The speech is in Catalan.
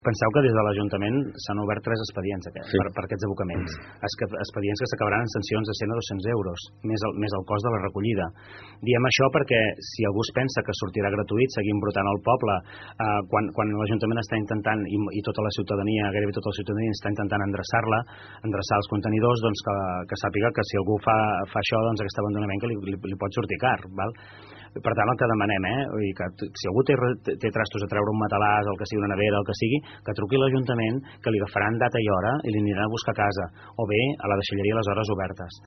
Penseu que des de l'Ajuntament s'han obert 3 expedients per aquests abocaments. Expedients que s'acabaran en sancions de 100 a 200 euros, més el cost de la recollida. Diem això perquè si algú es pensa que sortirà gratuït seguint brotant al poble, quan l'Ajuntament està intentant, i tota la ciutadania, gairebé tota la ciutadania està intentant endreçar els contenidors, doncs que sàpiga que si algú fa això, doncs aquest abandonament que li pot sortir car, val? Per tant, el que demanem, que si algú té trastos a treure un matalàs, el que sigui una nevera, el que sigui, que truqui a l'Ajuntament, que li agafaran data i hora i li aniran a buscar a casa, o bé a la deixalleria a les hores obertes.